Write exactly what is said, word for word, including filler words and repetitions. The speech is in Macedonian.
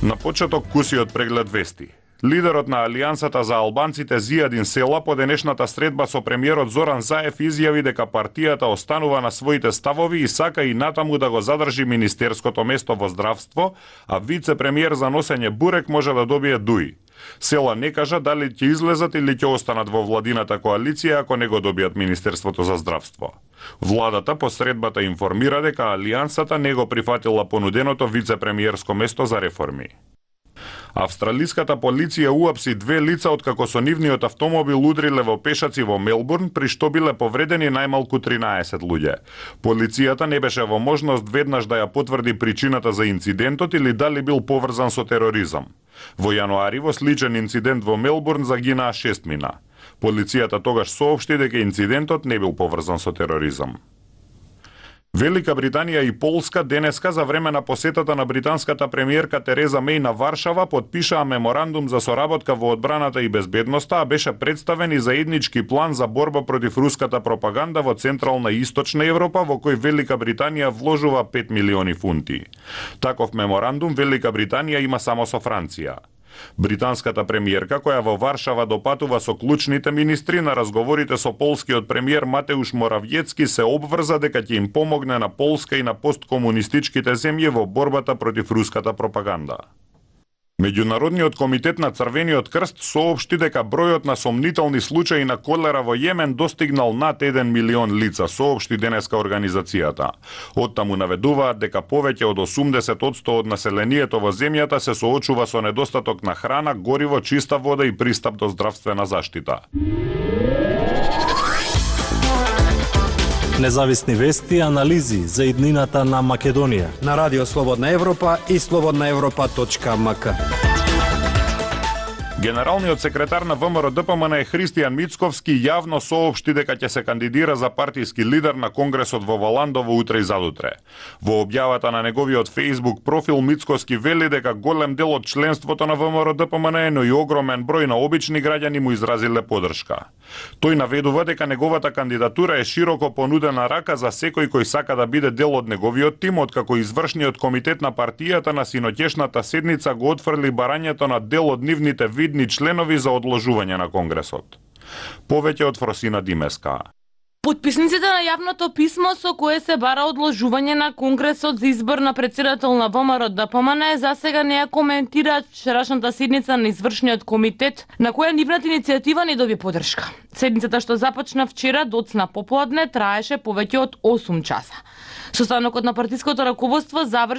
На почеток куси од преглед вести. Лидерот на Алијансата за албанците Зијадин Села по денешната средба со премиерот Зоран Заев изјави дека партијата останува на своите ставови и сака и натаму да го задржи министерското место во здравство, а вице-премиер за носење бурек може да добие дуи. Села не кажа дали ќе излезат или ќе останат во владината коалиција ако не го добијат Министерството за здравство. Владата по средбата информира дека Алијансата не го прифатила понуденото вице-премиерско место за реформи. Австралиската полиција уапси две лица откако со нивниот автомобил удриле во пешаци во Мелбурн, при што биле повредени најмалку тринаесет луѓе. Полицијата не беше во можност веднаш да ја потврди причината за инцидентот или дали бил поврзан со тероризам. Во јануари во сличен инцидент во Мелбурн загинаа шестмина. Полицијата тогаш соопшти дека инцидентот не бил поврзан со тероризам. Велика Британија и Полска денеска за време на посетата на британската премиерка Тереза Меј на Варшава подпишаа меморандум за соработка во одбраната и безбедноста, а беше представен и заеднички план за борба против руската пропаганда во Централна и Источна Европа, во кој Велика Британија вложува пет милиони фунти. Таков меморандум Велика Британија има само со Франција. Британската премиерка, која во Варшава допатува со клучните министри, на разговорите со полскиот премиер Матеуш Моравјецки се обврза дека ќе им помогне на Полска и на посткомунистичките земји во борбата против руската пропаганда. Меѓународниот комитет на Црвениот крст соопшти дека бројот на сомнителни случаи на колера во Јемен достигнал над еден милион лица, соопшти денеска организацијата. Оттаму наведуваат дека повеќе од осумдесет одсто од населението во земјата се соочува со недостаток на храна, гориво, чиста вода и пристап до здравствена заштита. Независни вести и анализи за иднината на Македонија на Радио Слободна Европа и слободна европа точка ем ка. Генералниот секретар на Вэ Ем Р Д П М Н Христијан Мицковски јавно соопшти дека ќе се кандидира за партиски лидер на Конгресот во Валандово утре и задутре. Во објавата на неговиот Facebook профил Мицковски вели дека голем дел од членството на Вэ Ем Р Д П М Н, но и огромен број на обични граѓани му изразиле подршка. Тој наведува дека неговата кандидатура е широко понудена рака за секој кој сака да биде дел од неговиот тим, откако извршниот комитет на партијата на синоќешната седница го отфрли барањето на дел од нивните видни членови за одложување на Конгресот. Повеќе од Фросина Димеска. Потписниците на јавното писмо со кое се бара одложување на Конгресот за избор на претседател на Вэ Ем Р Д П М Н за сега не ја коментираат вчерашната седница на извршниот комитет, на која нивната иницијатива не доби поддршка. Седницата што започна вчера доцна попладне траеше повеќе од осум часа. Состанокот на партиското раководство заврши